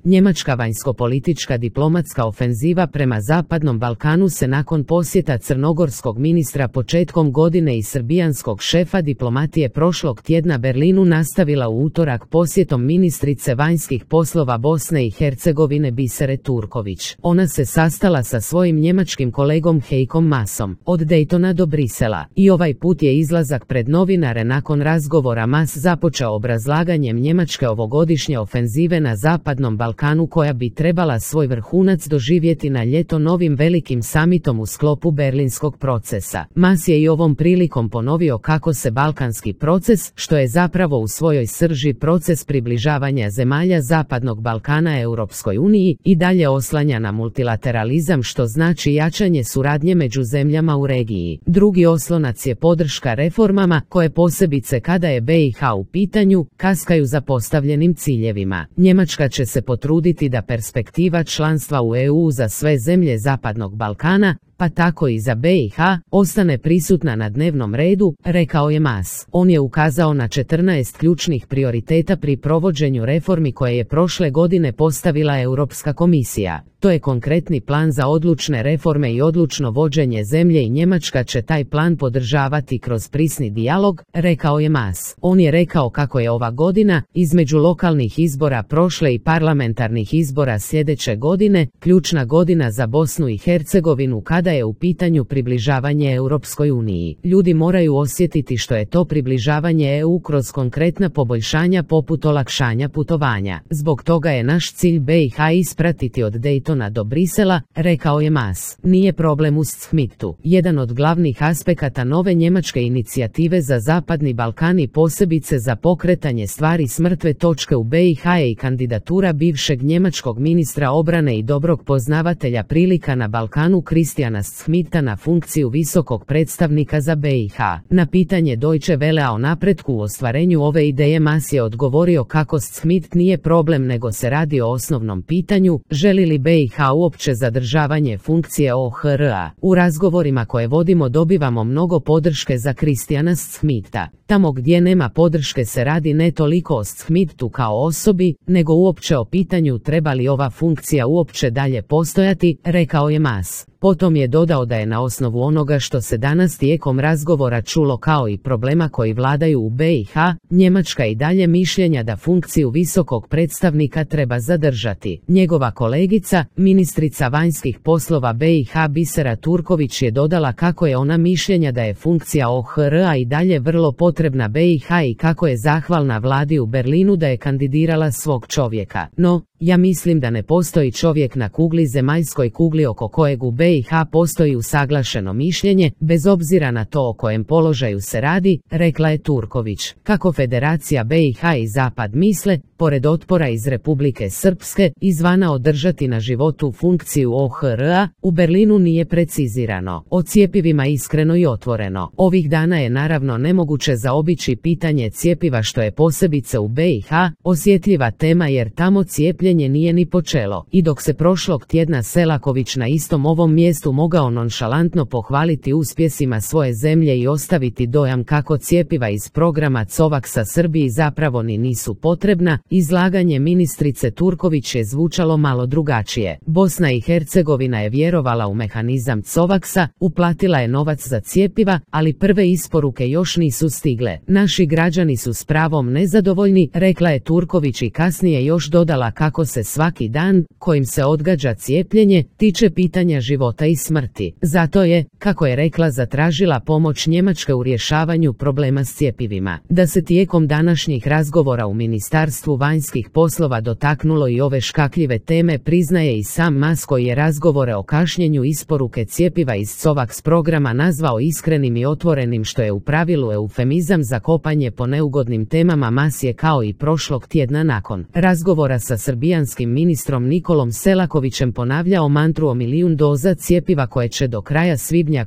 Njemačka vanjskopolitička diplomatska ofenziva prema Zapadnom Balkanu se nakon posjeta crnogorskog ministra početkom godine i srbijanskog šefa diplomatije prošlog tjedna Berlinu nastavila u utorak posjetom ministrice vanjskih poslova Bosne i Hercegovine Bisere Turković. Ona se sastala sa svojim njemačkim kolegom Heikom Maasom od Daytona do Brisela i ovaj put je izlazak pred novinare nakon razgovora Maas započeo obrazlaganjem njemačke ovogodišnje ofenzive na Zapadnom Balkanu koja bi trebala svoj vrhunac doživjeti na ljeto novim velikim samitom u sklopu berlinskog procesa. Maas je i ovom prilikom ponovio kako se balkanski proces, što je zapravo u svojoj srži proces približavanja zemalja Zapadnog Balkana Europskoj uniji, i dalje oslanja na multilateralizam, što znači jačanje suradnje među zemljama u regiji. Drugi oslonac je podrška reformama koje posebice kada je BiH u pitanju, kaskaju za postavljenim ciljevima. Njemačka će se potruditi da perspektiva članstva u EU za sve zemlje Zapadnog Balkana, pa tako i za BiH, ostane prisutna na dnevnom redu, rekao je Maas. On je ukazao na 14 ključnih prioriteta pri provođenju reformi koje je prošle godine postavila Europska komisija. To je konkretni plan za odlučne reforme i odlučno vođenje zemlje i Njemačka će taj plan podržavati kroz prisni dijalog, rekao je Maas. On je rekao kako je ova godina, između lokalnih izbora prošle i parlamentarnih izbora sljedeće godine, ključna godina za Bosnu i Hercegovinu kada je u pitanju približavanje Europskoj uniji. Ljudi moraju osjetiti što je to približavanje EU kroz konkretna poboljšanja poput olakšanja putovanja. Zbog toga je naš cilj BiH ispratiti od Daytona do Brisela, rekao je Maas. Nije problem u Schmidtu. Jedan od glavnih aspekata nove njemačke inicijative za Zapadni Balkan i posebice za pokretanje stvari s mrtve točke u BiH je i kandidatura bivšeg njemačkog ministra obrane i dobrog poznavatelja prilika na Balkanu Christiana Schmidta na funkciju visokog predstavnika za BiH. Na pitanje Deutsche Wellea o napretku u ostvarenju ove ideje Maas je odgovorio kako Schmidt nije problem nego se radi o osnovnom pitanju, želi li BiH uopće zadržavanje funkcije OHR-a. U razgovorima koje vodimo dobivamo mnogo podrške za Christiana Schmidta. Tamo gdje nema podrške se radi ne toliko o Schmidtu kao osobi, nego uopće o pitanju treba li ova funkcija uopće dalje postojati, rekao je Maas. Potom je dodao da je na osnovu onoga što se danas tijekom razgovora čulo kao i problema koji vladaju u BiH, Njemačka i dalje mišljenja da funkciju visokog predstavnika treba zadržati. Njegova kolegica, ministrica vanjskih poslova BiH Bisera Turković je dodala kako je ona mišljenja da je funkcija OHR-a i dalje vrlo potrebna BiH i kako je zahvalna vladi u Berlinu da je kandidirala svog čovjeka. No, ja mislim da ne postoji čovjek na kugli zemaljskoj kugli oko kojeg u BiH postoji usaglašeno mišljenje, bez obzira na to o kojem položaju se radi, rekla je Turković. Kako Federacija BiH i Zapad misle, pored otpora iz Republike Srpske, izvana održati na životu funkciju OHR-a, u Berlinu nije precizirano. O cjepivima iskreno i otvoreno. Ovih dana je naravno nemoguće zaobići pitanje cjepiva što je posebice u BiH osjetljiva tema jer tamo cijepljenje nije ni počelo. I dok se prošlog tjedna Selaković na istom ovom mjestu mogao nonšalantno pohvaliti uspjesima svoje zemlje i ostaviti dojam kako cjepiva iz programa COVAX-a Srbiji zapravo ni nisu potrebna, izlaganje ministrice Turković je zvučalo malo drugačije. Bosna i Hercegovina je vjerovala u mehanizam COVAX-a, uplatila je novac za cjepiva, ali prve isporuke još nisu stigle. Naši građani su s pravom nezadovoljni, rekla je Turković i kasnije još dodala kako se svaki dan, kojim se odgađa cijepljenje, tiče pitanja života i smrti. Zato je, kako je rekla, zatražila pomoć Njemačke u rješavanju problema s cjepivima. Da se tijekom današnjih razgovora u Ministarstvu vanjskih poslova dotaknulo i ove škakljive teme priznaje i sam Maas koji je razgovore o kašnjenju isporuke cjepiva iz COVAX programa nazvao iskrenim i otvorenim što je u pravilu eufemizam za kopanje po neugodnim temama. Maas je kao i prošlog tjedna nakon razgovora sa srbijanskim ministrom Nikolom Selakovićem ponavljao mantru o 1 milijun doza cjepiva koje će do kraja svibnja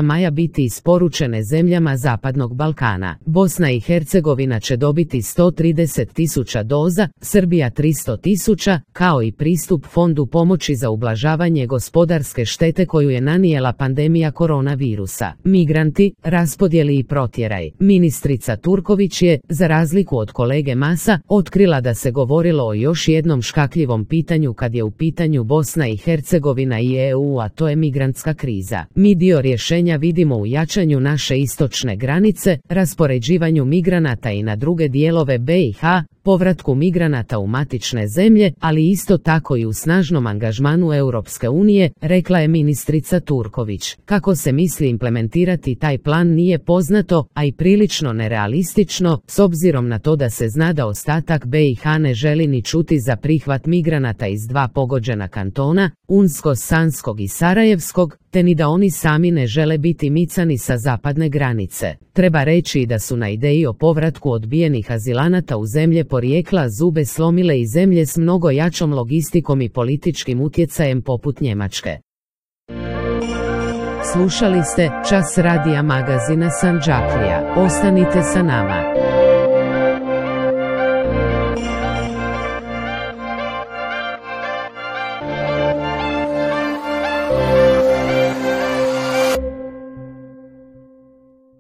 maja biti isporučene zemljama Zapadnog Balkana. Bosna i Hercegovina će dobiti 130.000 tisuća doza, Srbija 300 tisuća, kao i pristup fondu pomoći za ublažavanje gospodarske štete koju je nanijela pandemija koronavirusa. Migranti, raspodjeli i protjeraj. Ministrica Turković je, za razliku od kolege Masa, otkrila da se govorilo o još jednom škakljivom pitanju kad je u pitanju Bosna i Hercegovina i EU, a to je migrantska kriza. Mi dio rješenja vidimo u jačanju naše istočne granice, raspoređivanju migranata i na druge dijelove BiH, povratku migranata u matične zemlje, ali isto tako i u snažnom angažmanu Europske unije, rekla je ministrica Turković. Kako se misli implementirati taj plan nije poznato, a i prilično nerealistično, s obzirom na to da se zna da ostatak BiH ne želi ni čuti za prihvat migranata iz dva pogođena kantona, Unsko-Sanskog i Sarajevskog, te ni da oni sami ne žele biti micani sa zapadne granice. Treba reći da su na ideji o povratku odbijenih azilanata u zemlje porijekla zube slomile i zemlje s mnogo jačom logistikom i političkim utjecajem poput Njemačke. Slušali ste Čas radija magazina Sandžaklija. Ostanite sa nama.